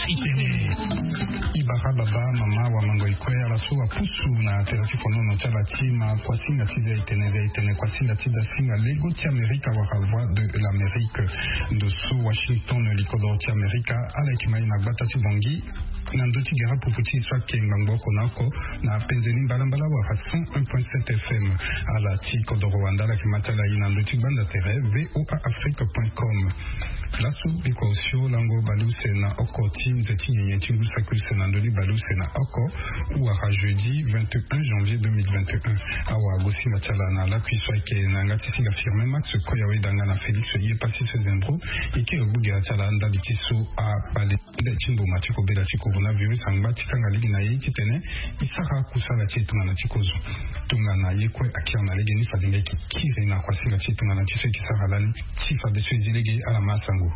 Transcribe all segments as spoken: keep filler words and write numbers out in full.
Ibara baba mama wa mango ikue ala so apusu na tere ti fonono ti ala ti ma kuasinga ti via itene via itene kuasinga ti dasinga lego ti amerika wala voix de l'amérique. Ndo so washington likodoro ti amerika ala yeke mai na gbata ti bongi na ndö ti gere pupu ti so ayeke ngbangbo oko na oko na penze ni mbalambala wala cent un point sept fm. Ala ti kodoro wande ala yeke ma ti ala ye na ndö ti gbanda tere voa afrique point com. Laso biko osio lango baleuse na oko ti nze ti nyenye ti ngu saki use na ndö ni baleuse na oko wara jeudi vingt et un janvier deux mille vingt et un. Awa gosinga ti ala na lakui so ayeke na yanga ti singa firme max koya weda nga na félix ye pasi so ezembro. Eke ogbugera ti ala ndali ti so abale nde ti mboma ti kobela ti coronavirus angba ti kanga lege na ye titene e sara kusala ti e tongana ti kozo. Tongana ye kue akiri na lege ni fade nga e yeke kiri na kuasinga ti e tongana ti so e yeke sara lani. Ti fadeso e zi lege ala ma asango.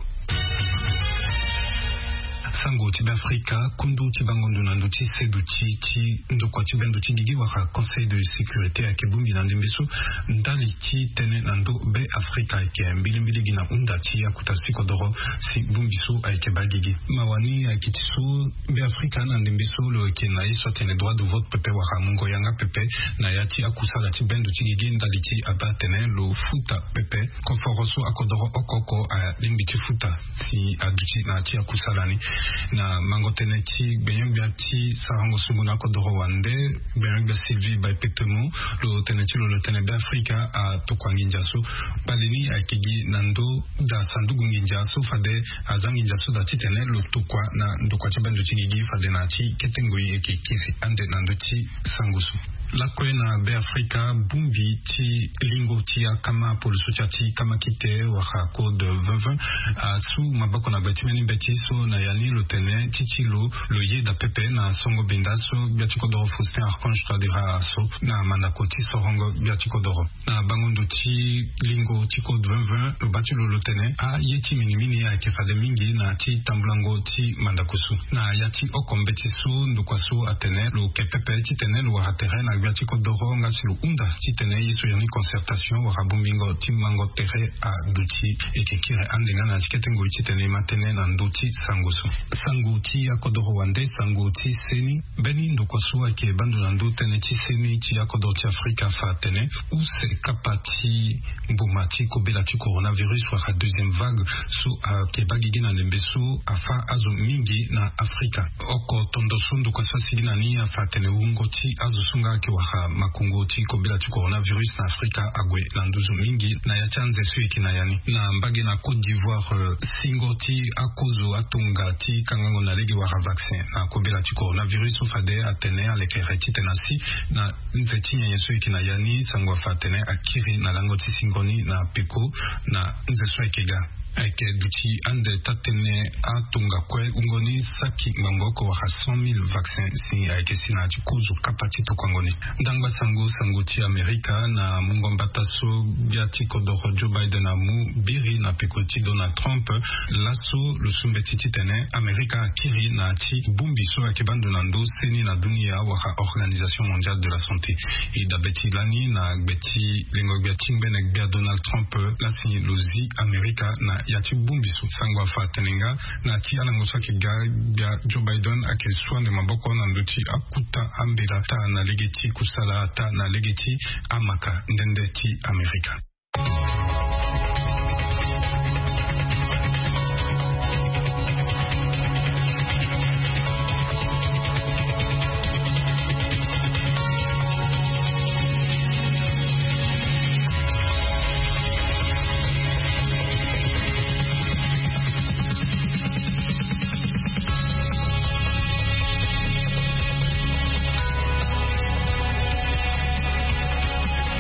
Sango ti be afrika kundu ti bango ndo na ndo ti seduti ti ndokua ti be ndo ti gigi wala conseil de sécurité ayeke bongbi na ndembe so ndali ti tene na ndo be afrika ayeke mbilimbili gi na hunda ti akuta sikodoro. Si bongbi so ayeke baa gigi mawa ni ayeke ti so be afrika na ndembe so lo yeke na ye so atene droit de vote pepe wala mungo yanga pepe na ya ti akusala ti be ndo ti gigi ndali ti abaa atene lo futa pepe koforo so akodoro oko oko alingbi ti futa si aduti na ya ti akusala ni. Na mango tënë ti gbenyo-gbia ti sarango sungu na akodoro wande gbenyo-gbia sylvie baipetemo lo tene ti lo lo tene be afrika atokua nginza so kpale ni ayeke gi na ndo daa sanduku nginza so fade aza nginza so daa titene lo tokua na ndokua ti be ndo ti gigi fade na ya ti kete ngoi e yeke kiri ande na ndö ti sango so. Lakue na be afrika bongbi ti lingo ti akama poloso ti ya ti kama kite wala code vingt vingt asu maboko na gbe ti mbeni mbeti so na ya ni lo tene ti ti lo lo yeda pepe na songo benda so gbia ti kodoro faustin archange tradera aso na mandako ti sorongo gbia ti kodoro. Na bango ndo ti lingo ti code vingt vingt lo baa ti lo lo tene aye ti minimini ayeke fade mingi na ya ti tambulango ti mandako so na ya ti oko mbeti so ndokua so atene lo ke pepe titene lo wara tere na gbia ti kodoro nga si lo hunda titene ye so ya ni concertation wala bongbingo ti mango tere aduti. E yeke kiri ande nga na ya ti kete ngoi titene e ma tënë na ndö ti sango so. Sango ti akodoro wande sango ti seni mbeni ndokua so ayeke baa ndo na ndö tënë ti seni ti akodoro ti afrika afa atene use kapa ti mboma ti kobela ti coronavirus wala deuxième vague so ayeke baa gigi na ndembe so afa azo mingi na afrika. Oko tondo so ndokua so asigi na ni afa atene wungo ti azo so nga ayeke wara makongo ti kobela ti coronavirus na afrika ague na nduzu mingi na ya ti anze so e yeke na ya ni na mbage na côte d'ivoire. Singo ti akozo atonga ti kangango na lege wala vaccin na kobela ti coronavirus so fade atene alekere titene asi na nze ti nyenye so e yeke na ya ni sango afa atene akiri na lango ti singo ni na peko na nze so ayeke ga. Ayeke duti ande taa-tënë atonga kue wungo ni saki ngbangbo oko wala cent mille vaccin si ayeke si na ya ti kozo kapa ti tokuango ni. Ndangba sango sango ti amerika na mungo mbata so gbia ti kodoro joe biden amu biri na peko ti donald trump. Laso lo su mbeti titene amerika akiri na ya ti bongbi so ayeke baa ndo na ndö seni na dunia wala organisation mondiale de la santé. E dabe ti lani na gbe ti lengo gbia ti ngbene gbia donald trump lasi lo zi amerika na ya ti bongbi so sango afa atene nga na ya ti alango so ayeke ga gbia joe biden ayeke su ande maboko na ndö ti akuta ambela taa na lege ti kusala taa na lege ti amaka nde nde ti amerika.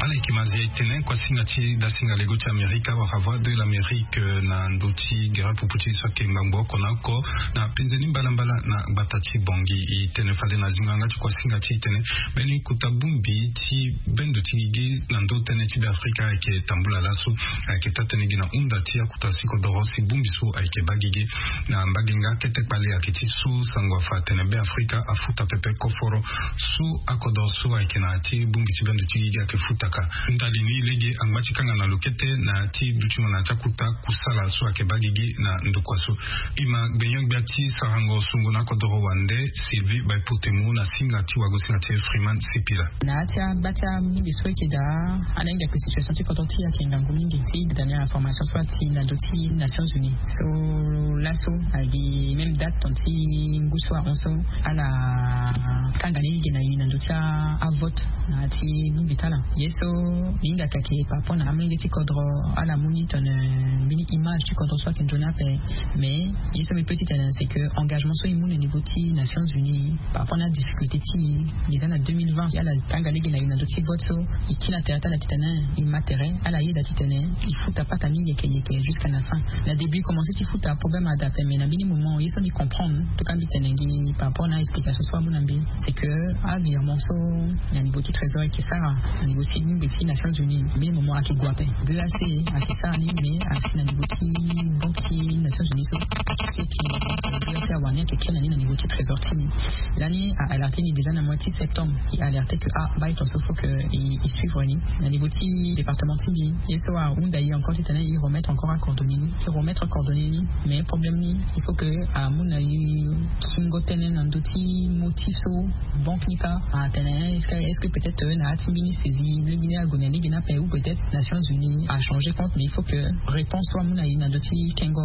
Ala yeke ma zia e tene kuasinga ti dasinga lego ti amerika wala voix de l'amérique na ndö ti gere pupu ti so ayeke ngbangbo oko na oko na penze ni mbalambala na gbata ti bongi. E tene fade na zingo yanga ti kuasinga ti e tene mbeni kota bongbi ti bendo ti gigi na ndö tënë ti be afrika ayeke tambula laso. Ayeke taa-tënë gi na hunda ti akuta sikodoro si bongbi so ayeke baa gigi na mbage nga kete kpale ayeke ti so sango afa atene be afrika afuta pepe koforo so akodoro so ayeke na ya ti bongbi ti bendo ti gigi ayeke futaka ndali ni. Ege angba ti kanga na lokete na ti dutingo na ti akuta kusala so ayeke baa gigi na ndokua so. Ima gbenyo-gbia ti sarango sungo na kodoro wande, Sylvie Baipotemo, na singa ti wagosinga ti Freeman Sipila. Na ya ti agba ti abongbi so eke daa, ala hinga ke situation ti kodro ti e ayeke ngangu mingi ti dernière information so ati na ndö ti Nations Unies. So laso agi même date ton ti ngu so ahon so ala kanga ni lege na e na ndö ti avote na ya ti bongbi ti ala. Ye so mbi hinga kake par rapport na amolenge ti kodro, ala mu ni tene mbeni image ti kodro so ayeke nzoni ape. Mais ye so mbi pe ti tene c'est que engagement so e mu na niveau ti Nations Unies par rapport na difficulté ti e déjà na deux mille vingt, ala tanga lege na e na ndö ti vote so, e kiri na tere ti ala titene e ma tere, ala yeda titene e futa patani yeke yeke jusqu'à la fin. Na début e commencé ti futa problème ada ape, mais na mbeni moment ye so mbi comprendre, en tout cas mbi tene gi par rapport na explication so amu na mbi, c'est que avirement so na niveau ti trésor eke sara na niveau ti bongbi ti Nations Unies, mbeni moment ake gue ape. B A C ake sara ni, mais asi na niveau ti banque ti Nations Unies so ake seki. B A C awara ni ake kiri na ni na niveau ti trésor ti e. Lani a alerte ni déjà na mois ti septembre, e alerte que ah, baa e ton so faut que e, e suivre ni na niveau ti département ti mbi. Ye so ahunda e encore titene e remettre encore acoordonné ni, e remettre coordonné ni. Mais problème ni, il faut que amu na e kingo tënë na ndö ti motif so banque ni kâ atene est-ce que, est-ce que peut-être, euh, na ya ti mbeni saisie lege ni ague na lege ni ape, ou peut-être Nations Unies achangé compte, mais il faut que réponse so amu na e na ndö ti kengo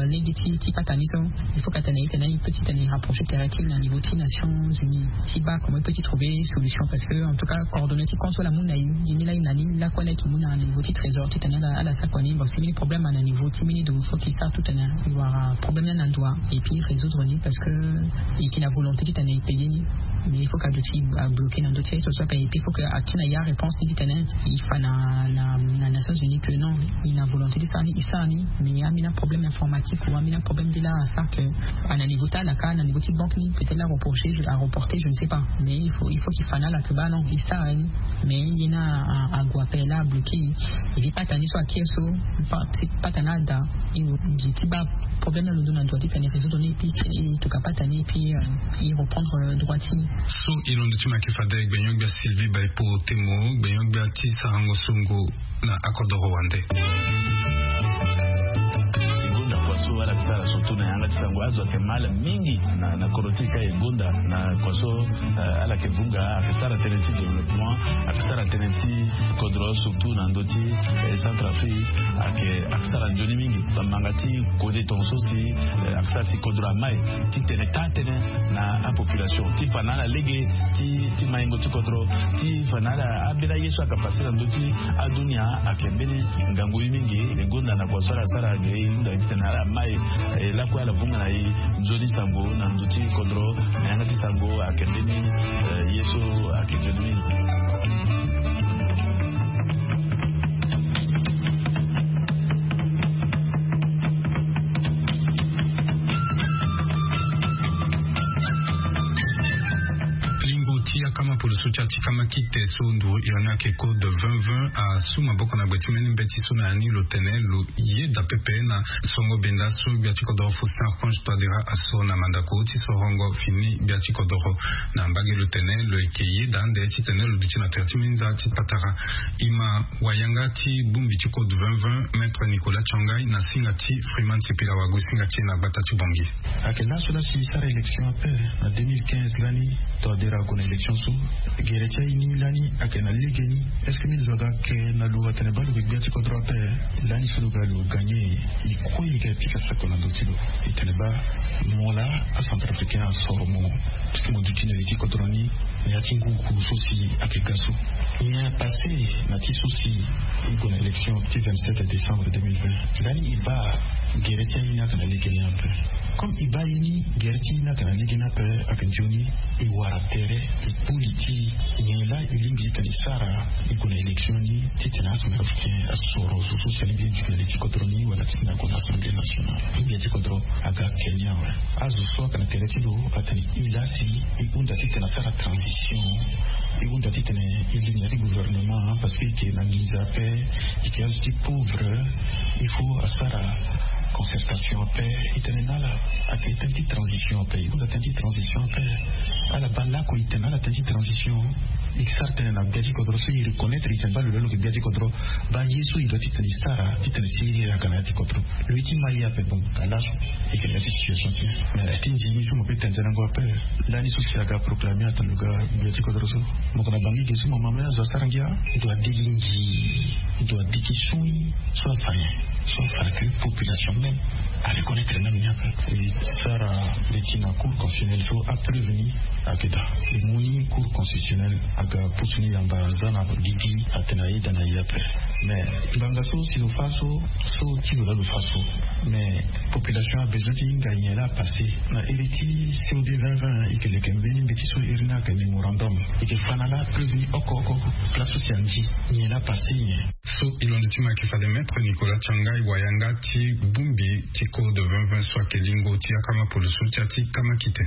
lege ti, ti patani so, il faut que atene e tene e peut ti tene e rapprocher tere ti e na niveau ti Nations Unies ti baa comment e peut ti trouver solution, parce que en tout cas coordonné ti compte so ala mu na e, e ni laa e na ni lakue laa e ke mu na niveau ti trésor titene ala, ala sara kua ni. Bon, si mbeni problème na niveau ti mbeni do, faut que e sara tout tene e wara problème ni na ndo wa et puis résoudre ni, parce que e ke na volonté titene e payer ni. Mais il faut que aduti abloqué na ndö ti ye so so ape, et puis il faut que akiri na e aréponse ni titene e fa na, na, na Nations Unies que non, e na volonté ti sara ni, e sara ni, mais ambeni problème informatique ou ambeni problème ti la asara que, ah, na niveau ti ala kâ, na niveau ti banque ni, peut-être la reproché, je, a reporté, je ne sais pas. Mais il faut, il faut qu'il fa na ala que baa non, e sara ni. Mais e ni a, a, ague ape la abloqué. Et puis patani so akiri so, pa-, ti patani ada, e gi ti baa problème ni alondo na ndo wa titene e résoudre ni, et puis e tokua patani, et puis, euh, e reprendre, euh, droit ti e. So e londo ti ma yeke fade gbenyo-gbia Sylvie Baipotemo, gbenyo-gbia ti sarango sungo na akodoro wande. E gonda kua so ala yeke sara surtout na yanga ti sango, azo ayeke mal mingi na, na kodro ti e kâ. E gonda na kua so, eh, ala yeke vunga, ayeke sara tënë ti développement, ayeke sara tënë ti kodro, surtout na ndö ti, eh, Centrafrique, ayeke, ayeke sara nzoni mingi. Bamanga ti kode tongaso si, eh, ayeke sara si kodro amai ti tene taa tënë na apopulation, ti fa na ala lege ti, ti maingo ti kodro, ti fa na ala ambeni aye so ayeke passé na ndö ti adunia, ayeke mbeni ngangu ye mingi. E gonda na kua so ala sara ge, e hunda titene ala mai, eh, lakue ala vunga na e nzoni sango na ndö ti kodro, na yanga ti sango ayeke mbeni, eh, ye so ayeke nzoni mingi. Lingo ti akama polo so ti a ti kama kite so nduru iri ni ayeke code vingt vingt asu maboko na gbe ti mbeni mbeti so na ya ni lo tene lo yeda pepe na songo benda so gbia ti kodoro Faustin Archange Touadéra asoro na mandako ti sorongo fini gbia ti kodoro. Na mbage lo tene lo yeke yeda ande titene lo duti na tere ti minza ti patara. Ima wayanga ti bongbi ti code vingt vingt, Maître Nicolas Tshangai, na singa ti Freeman Sipila, wagosinga ti e na gbata ti Bangui. Ayeke laso laa si e sara élection ape na deux mille quinze lani, Touadéra ague na élection so. Gere ti aye ni lani ayeke na legeni. Est-ce que mbeni zo aga ayeke na lo atene baa lo yeke gbia ti kodro ape? Lani so lo ga lo gagné, e kue e ga e pika sako na ndo ti lo. E tene baa mo laa acentrafricain asoro mo. Puisque mo duti na li ti kodro ni na ya ti ngu ngu so si ayeke ga so. E passé na ti so si e gue na élection ti vingt-sept décembre deux mille vingt. Lani e baa gere ti aye ni ayeke na legeni ape. Comme e baa ye ni gere ti e ni ayeke na legeni ape, ayeke nzoni e wara tere, e kpo li ti e. Nyen laa e lingbi titene e sara? E gue na élection ni titene acentrafricain asoro zo so si alingbi ti duti na li ti kodro ni wala titene ague na Assemblée nationale. Gbia ti kodro aga Kenya awe. Azo so ayeke na tere ti lo atene e laa si e hunda titene asara transition. E hunda titene e li na ya ti gouvernement, parce que e yeke na nginza ape, e yeke azo ti pauvre. Il faut asara Concertation ape. E tene na ala ayeke tënë ti transition ape. E hunda tënë ti transition ape. Ala baa lakue e tene na ala tënë ti transition. E ke sara tënë na gbia ti kodro so e reconnaître e tene baa lo laa lo yeke gbia ti kodro. Baa ye so e doit ti tene e sara ti tene si e yeke na ya ti kodro. Lo ye ti ma ye ape. Bon, ala so e yeke na ya ti situation ti e. Mais ti nzini so mo pe tene tënë na ngo ape. Lani so si aga proclamer atene lo ga gbia ti kodro so, mo yeke na bangi ge so mo ma me azo asara ngia. Doit digi ngi, doit digi sui. So afa nyen? So afa ke population même a reconnaître même nyen ape. E sara le ti na cour constitutionnelle so a prévenu. Ayeke daa e mu ni cour constitutionnelle aga pusu ni yamba za na gigi atene ayeda na ye ape. Mais ngbanga so si lo fa so, so ti lo laa lo fa so. Mais population a besoin ti hinga nyen laa apasé. Na iri ti C O D vingt vingt e yeke leke mbeni mbeti so iri ni ayeke mémorandum. E yeke fa na laa prévenu oko oko place so si andi nyen laa apasé nyen. So e londo ti ma ayeke fade Maître Nicolas Tiangai wayanga ti bongbi ti code vingt vingt so ayeke lingo ti akama poloso ti ya ti kama kite.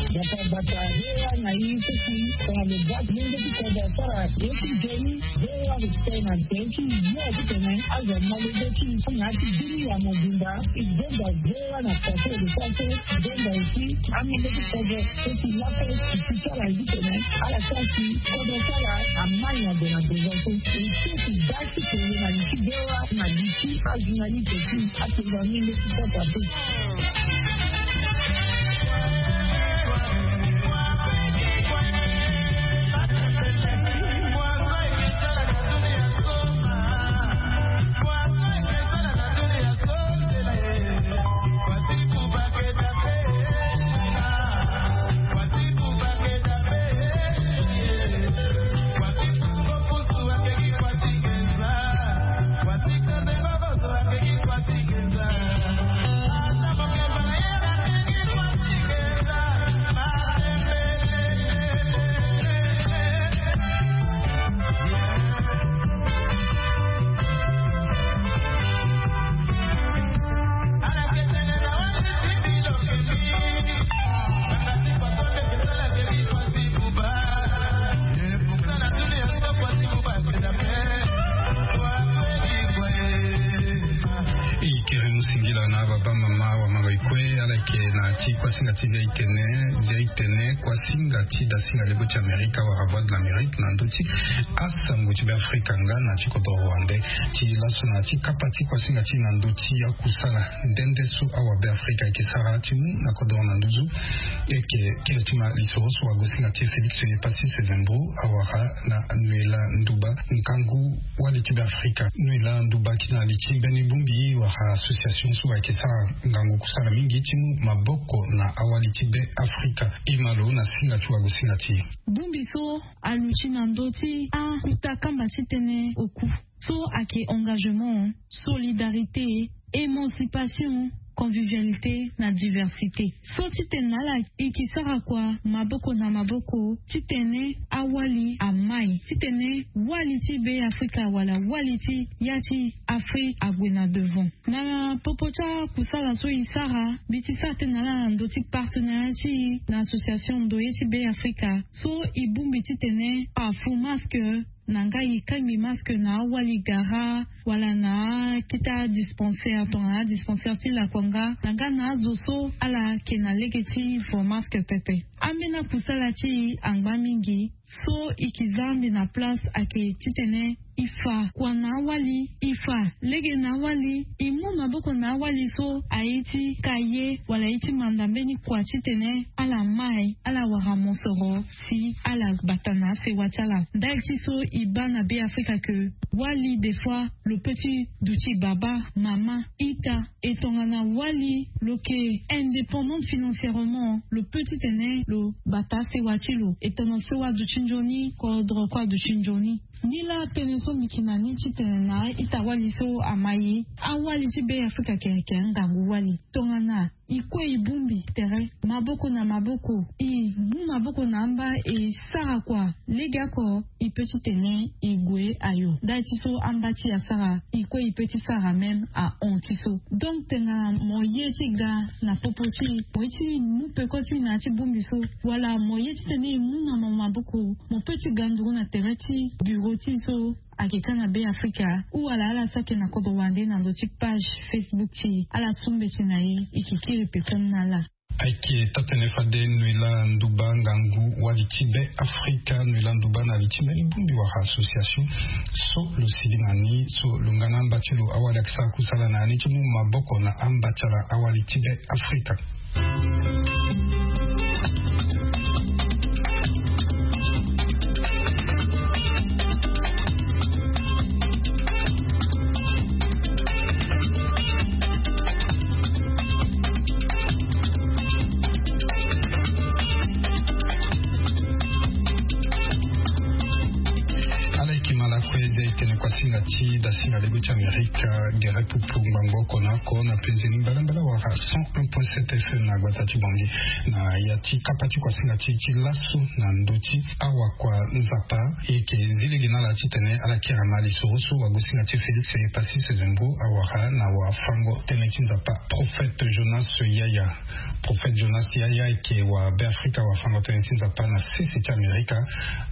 Bata bata, V O A na i sisi, tongana lo baa lenge ti kodro asara ye ti nzoni, V O A lo tene na nzoni ti yo ti tene azo amolenge ti i na ya ti bini ya mobimba. I gbenda V O A na kate lo sara so, i gbenda aussi amolenge ti kodro so ti lape ti ti sara ye ti tene ala sara si kodro ti ala amai na gue na devant so. I sisi da ti tene na li ti V O A na li ti ajournaliste ti atonga ni nde ti sasa pe. E kiri mu singila na baba mama wa manga ikue ala yeke na ti kuasinga ti via itene, via itene kuasinga ti dasinga lego ti Amerika wala Voix de l'Amérique na ndö ti asango ti Beafrika nga na ti kodro rwandais. Ti laso na ti kapa ti kuasinga ti na ndö ti akusala nde nde so awa Beafrika ayeke sara ti mu na kodro na nduzu. E yeke kiri ti ma lisoro so wagosinga ti Félix Epassi Sezembro awara na Noëlla Ndouba, ngangu wali ti Beafrika. Noëlla Ndouba akiri na li ti mbeni bongbi wala association so ayeke sara ngangu kusala mingi ti mu maboko na awali ti Beafrika. E ma lo na singa ti wagosinga ti e. Bongbi so aluti na ndö ti akuta kamba ti tene oku so ayeke engagement, solidarité, émancipation, convivialité na diversité. So titene na ala e ke sara kua maboko na maboko titene awali amai, titene wali ti Beafrika wala wali ti ya ti Afrique ague na devant. Na popo ti akusala so e sara, mbi ti sara tënë na ala na ndö ti partenariat ti e na association ndoye ti Beafrika so e bongbi titene afu masque na nga e kangbi masque na awali gara wala na akete adispensaire tongana adispensaire ti lakua nga na nga na azo so ala yeke na lege ti vo masque pepe. Ambeni akusala ti e angba mingi so e ke za ande na place ayeke titene e fa kua na awali, e fa lege na awali, e mu maboko na awali so aye ti ka ye wala aye ti manda mbeni kua titene ala mai, ala wara mosoro si ala bata na asewa ti ala. Ndali ti so e baa na Beafrika ke wali des fois lo peut ti duti baba, mama, ita. E tongana wali lo yeke indépendante financièrement, lo peut titene lo bata asewa ti lo. E tongana so aduti nzoni, kodro kue aduti nzoni. Nilaa tënë so mbi yeke na ni titene na ita-wali so amai, awali ti Beafrika ayeke, ayeke angangu wali. Tongana e kue e bongbi tere maboko na maboko, e mu maboko na amba e sara kua legeoko, e peut titene e gue ayo. Ndali ti so amba ti e asara, e kue e peut ti sara même ahon ti so. Donc tongana mo ye ti ga na popo ti e, mo ye ti mu peko ti e na ya ti bongbi so, wala mo ye titene e mu na mo maboko, mo peut ti ga nduru na tere ti bureau ti e so, Ayeke ka na Beafrika. Huu ala ala so ayeke na kodro wande na ndö ti page Facebook ti e, ala su mbeti na e. E yeke kiri peko ni na ala. Ayeke taa-tënë fade Noëlla Ndouba, ngangu wali ti Beafrika. Noëlla Ndouba na li ti mbeni bongbi wala association so lo sigi na ni so lo nga na amba ti lo awali ayeke sara kusala na ya ni ti mu maboko na amba ti ala awali ti Beafrika. Ala yeke ma lakue de e tene kuasinga ti dasinga lego ti Amerika gere pupu ngbangbo oko na oko na penze ni mbalambala wala cent un point sept F M na gbata ti Bangui. Na ya ti kapa ti kuasinga ti ti laso na ndö ti awakua Nzapa, e yeke zi lege na ala titene ala kiri na ma lisoro so wagosinga ti Félix Passy Sezembo awara na wafango tënë ti Nzapa, Prophète Jonas Yaya. Prophète Jonas Yaya ayeke wa Beafrika, wafango tënë ti Nzapa na sese ti Amerika.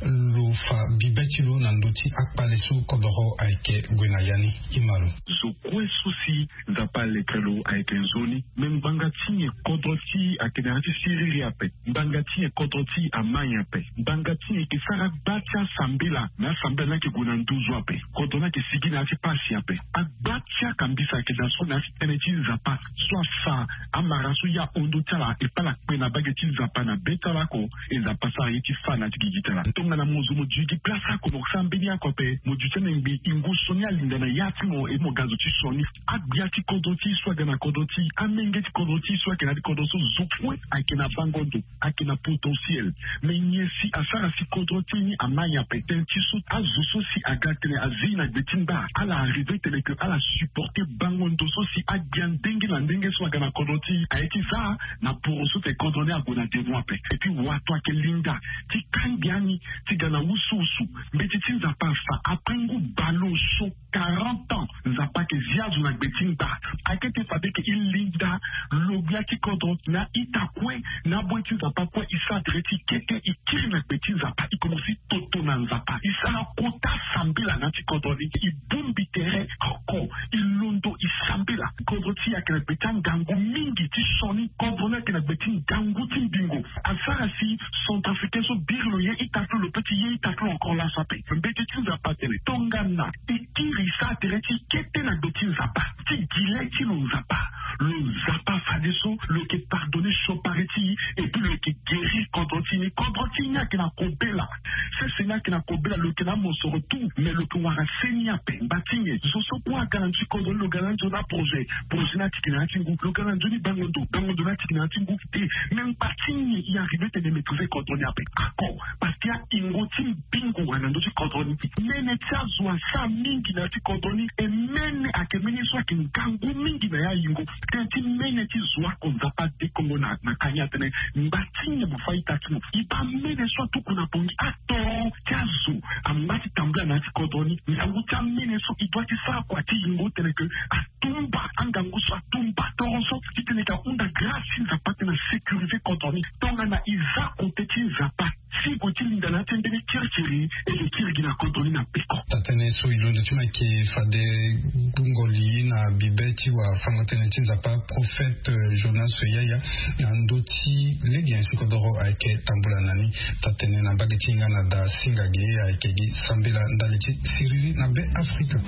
Lo fa bibe ti lo na ndö ti akpale so kodoro ayeke gue na ya ni. E ma lo. Zo kue so si Nzapa alekere lo ayeke nzoni. Me ngbanga ti nyen kodro ti e ayeke na ya ti siriri ape? Ngbanga ti nyen kodro ti e amai ape? Ngbanga ti nyen e yeke sara gba ti asambela? Me asambela ni ayeke gue na nduzu ape. Kodro ni ayeke sigi na ya ti pasi ape. Agba ti akambisa ayeke daa so na ya ti tënë ti Nzapa so afa amara so e ahon ndö ti ala e paa ala kpe na mbage ti Nzapa na be ti ala oko. E Nzapa asara ye ti fâ na ya ti gigi ti ala. Tongana mo zo mo duti gi place oko, mo sara mbeni oko ape, mo duti anengbe, e ngu sioni alinda na ya ti mo, e mo ga zo ti sioni. Agbia ti kodro ti e so aga na kodro ti e, amenge ti kodro ti e so ayeke na ya ti kodro so, zo kue ayeke na bango ndo, ayeke na potentiel. Me nyen si asara si kodro ti e ni amai ape? Tënë ti so azo so si aga tene azi na gbe ti ngba, ala arrive tene ke ala supporter bango ndo so si agbia ndenge na ndenge so aga na kodro ti e. Aye ti za na poro so tene kodro ni ague na devant ape. Et puis wato ayeke linda ti kangbi ani ti ga na wusuwusu. Mbeti ti Nzapa afa, après ngu baleoso, quarante ans, Nzapa ayeke zi azo na gbe ti ngba. Ayeke ti fade ke e linda lo gbia ti kodro na ita kue, na aboy ti Nzapa kue, e sara tere ti kete, e kiri na gbe ti Nzapa, e komanse toto na Nzapa, e sara kota sambela na ya ti kodro ni, e bongbi tere oko, e londo, e sambela. Kodro ti e ayeke na gbe ti angangu mingi ti sioni. Kodro ni ayeke na gbe ti ngangu ti mbingo. Asara si Centrafricain so biri lo ye ita ti lo, lo peut ti ye ita ti lo encore laso ape. Mbeti ti Nzapa atene tongana e kiri, e sara tere ti kete na gbe ti Nzapa, ti gi le ti lo Nzapa, lo Nzapa fadeso lo yeke pardonner siokpari ti e, et puis lo yeke guérir kodro ti e ni. Kodro ti e ni ayeke na kobela. Sese ni ayeke na kobela, lo yeke na amosoro tout, mais lo yeke wara seni ape. Ngba ti nyen? Zo so kue aga na ndö ti kodro ni, lo ga na nzoni aprojet, projet ni atiki na ya ti ngu. Lo ga na nzoni bango ndo, bango ndo ni atiki na ya ti ngu. Te, mais ngba ti nyen e arrive tene e maîtriser kodro ni ape? Ako, parce que ayingo ti mbingo ayeke na ndö ti kodro ni. Mene ti azo asara mingi na ya ti kodro ni, e mene ayeke mene so ayeke ngangu mingi na ya yingo. Tënë ti mene ti zo oko, Nzapa adekongo na, na kani atene ngba ti nyen mo fa ita ti mo? E baa mene so atuku na Bangui, atoro ti azo angba ti tambula na ya ti kodro ni. Ngangu ti amene so e doit ti sara kua ti yingo tene ke atumba angangu so, atumba toro so, titene e ga hunda grâce ti Nzapa titene a sécuriser kodro ni. Tongana e za kote ti Nzapa, si e gue ti linda na ya ti mbeni kirikiri, e yeke kiri gi na kodro ni na peko. Taa-tënë so e londo ti mo ayeke fade gbungo li na bibe ti wafango-tënë ti Nzapa, Prophète Jonas Yaya, na ndö ti lege nyen si kodoro ayeke tambula na ni. Taa-tënë na mbage ti hinga na daa singa ge ayeke gi sambela ndali ti siriri na Beafrika.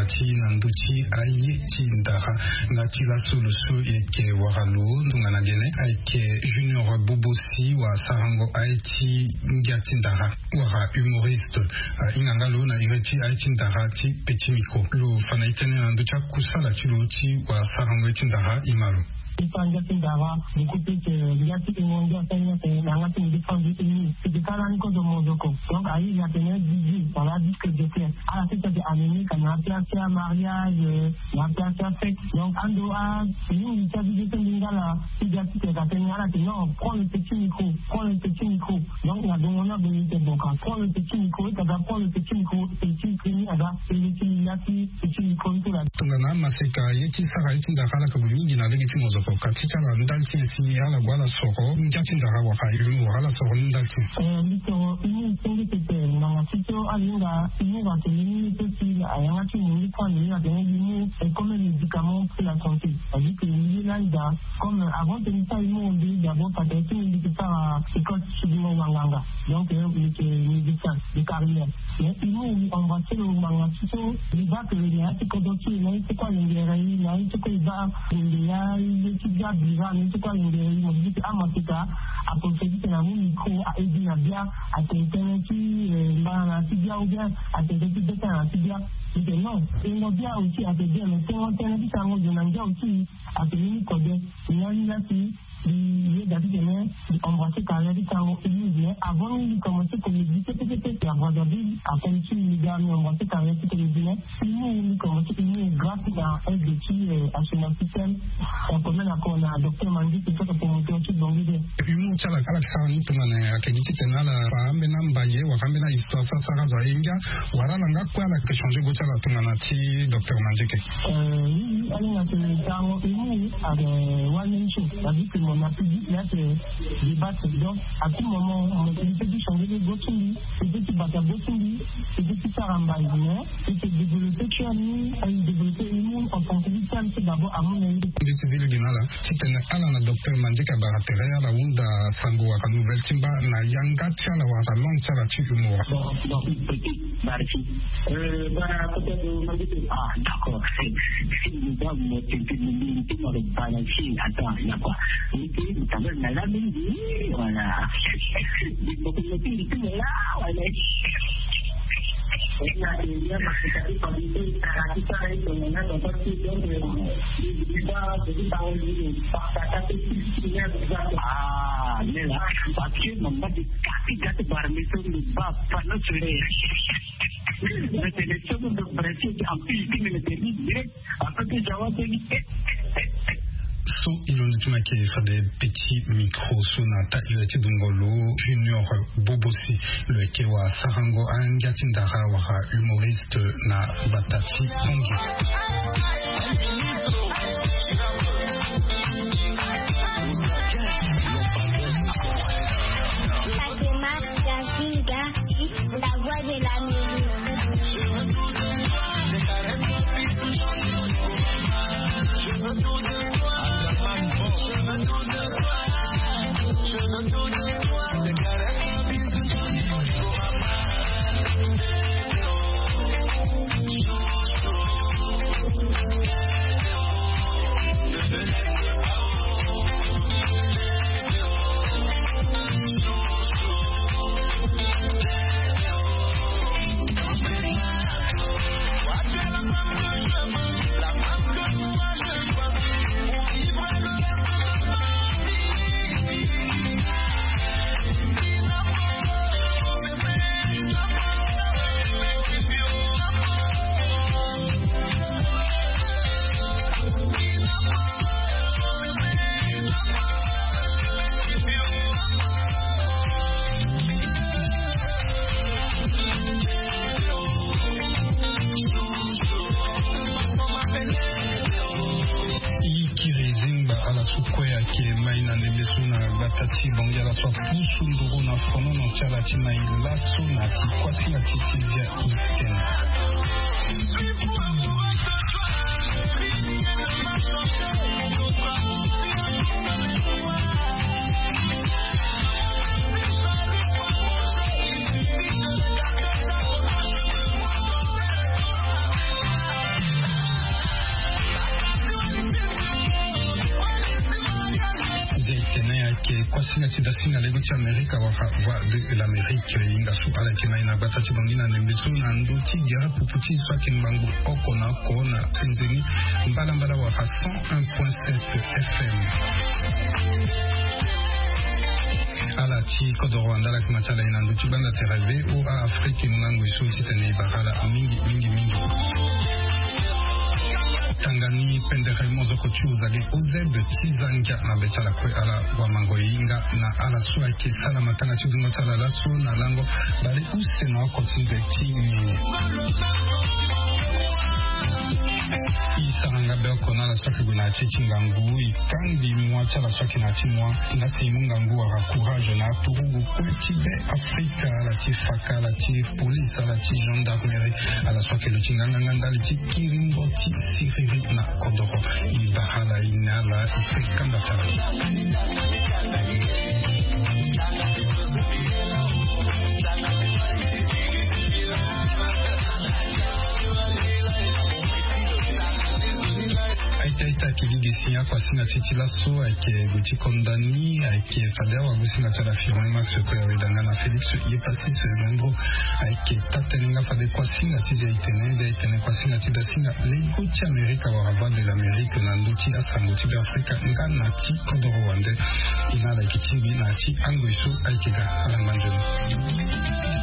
Ti na ndö ti aye ti ndara. Nga ti laso lo so e yeke wara lo tongana gene ayeke Junior Bobosi wa sarango aye ti ngia ti ndara wala humoriste. Ahinga nga lo na iri ti aye ti ndara ti Petit Micro. Lo fa na e tënë na ndö ti akusala ti lo ti wa sarango aye ti ndara. E ma lo. Ti fa ngia ti ndara, du coup ti yeke ngia ti ingo ngia ti ahinga tene na yanga ti mo défendre ti ni. Teke ka lani kozo mozoko. Donc aye atene D J wala disque jockey. Ala ti teke amené ka na apiasia mariage, na apiasia fête. Donc ando a mingi ti abibe so mbi nga la ti ga ti teke atene ala tene non, prends le petit micro, prends le petit micro. Donc na dongo ni ague ni te bon ka prends le petit micro, e ka ga prends le petit micro, petit micro ni aga e le ti la ti petit micro ni so la. Tongana amaseka ye ti sara ye ti ndara ala ka gue mingi na lege ti mozoko ka ti ti ala ndali ti nyen si ala gue ala soro ngia ti ndara wala humour wala ala soro ni ndali ti nyen? Eh, mbi soro humour senge pepe ngbanga ti so alinga humour atene ni so si ayanga ti mo ni kue ande ni atene humour est comme un médicament pour la santé. C'est-à-dire que mbi ye lani daa. Comme avant tene mbi sara humour mbi d'abord parce que ti mbi mbi yeke sara école ti subi mo wanganga. Donc eh, mbi yeke médecin de carrière. Mais humour mbi embrasser lo ngbanga ti so mbi baa que na ya ti kodro ti e na ye ti kue alingere ye na ye ti kue e baa gonde ya ye ti bia bira na ye ti kue alingere ye mo di ti amaseka. Aposedi tene amu micro a edi na bia atene tënë ti eh, mbana na ya ti bia ou bien atene tënë ti beta na ya ti bia. Mbi tene non, tengo bia aussi atene bien mais tengo tënë ti sango zo na ngia aussi. Atene ni kode. Ni na ni la si mbi yeda ti tene mbi embrasser carrière ti sango humour mais avant ni mbi commencer comédie kete kete ya Brazzaville akomi ti mbi ga mbi embrasser carrière ti comédie mais humour mbi commencer humour grâce na aide ti eh, Assoumani Système. Akomi na ko na docteur Mangi ti so ka promoteur ti Bongi de. Humour ti ala ala sara ni tongana ayeke gi titene ala fa ambeni ambaye wala ambeni ahistoire so asara azo aye ngia wala ala nga kue ala yeke changer go ti ala tongana ti docteur Mandieke. Eh, oui, oui, ala nga tene tango humour ayeke one man show. C'est-à-dire que mo na public la yeke débattre donc à tout moment mo peut ti changer go ti mbi, mo peut ti bata go ti mbi, mo peut ti sara mbai mais e yeke développer ti ani aye développer humour en tant que victime ti d'abord amu na ye. Mbi ti zi lege na ala titene ala na docteur Mandieke abara tere ala hunda sango wala nouvelle ti mba na yanga ti ala wala langue ti ala ti humour. Bon, bon, petit barki. Euh, bah, peut-être, euh, Mandieke, ah, d'accord. Si, si, nous avons, euh, tenter de nous dire, nous allons balancer. Attends, il y a quoi? Ok, quand même, là, là, même, oui, voilà. Des propriétés, et tout, là, voilà. Ah, mais là, parce que mon mari, quand il gâte par les autres, le bas, pas notre soleil. Mais c'est les choses de principe, en plus, il me le dit direct. Après que Jawa, c'est lui. So e londo ti mo ayeke fade petit micro so na ta iri ti dongolo Junior Bobosi. Lo yeke wa sarango angia ti ndara wala humoriste na gbata ti Bongi. La démarche d'Azinga, la voix de la mairie. E kiri e zingba ala so kue ayeke mai na ndembe so na gbata ti Bangui, ala so apusu nduru na fonono ti ala ti mai laso na ti kuasinga ti ti zia. Singa ti da singa lego ti Amerika wala Voix de l'Amérique, e hinga so ala yeke ma e na gbata ti Bangui na ndembe so na ndö ti gere pupu ti so ayeke ngbangbo oko na oko na penze ni, mbalambala wala cent un point sept F M. Ala ti kodoro wande ala yeke ma ti ala e na ndö ti gbanda tere V O A Afrique, e mu ngangu e so titene e bara ala mingi mingi mingi. Tanga ni pendere mozoko ti Ozade Ozeb ti Zangia na be ti ala kue ala wamango e hinga na ala so ayeke sala matanga ti dungo ti ala laso na lango bale use na oko ti nze ti nini. E sara nga be oko na ala so ayeke gue na ya ti e ti ngangu, e kangbi mua ti ala so ayeke na ya ti mua. Nga si e mu ngangu wala courage na aturugu kue ti be Afrika, ala ti faka, ala ti police, ala ti gendarmerie, ala so ayeke lo ti nganganga ndali ti kiringo ti siriri na kodoro. E bara ala, e ne ala, e fe kanda ti ala. Aita aita, kiligi si ya kua singa ti ti laso ayeke gue ti konda ni, ayeke fade awagosinga ti ala Firmin Max, kue aweda nga na Félix Yepassis Lembro. Ayeke taa tënë nga fade kua singa ti zia itene, zia itene kua singa ti da singa lego ti Amerika wala Voix de l'Amérique na ndö ti asango ti Beafrika nga na ti kodoro wande. E na ala yeke tingbi na ya ti angoi so ayeke ga. Ala ngba nzoni.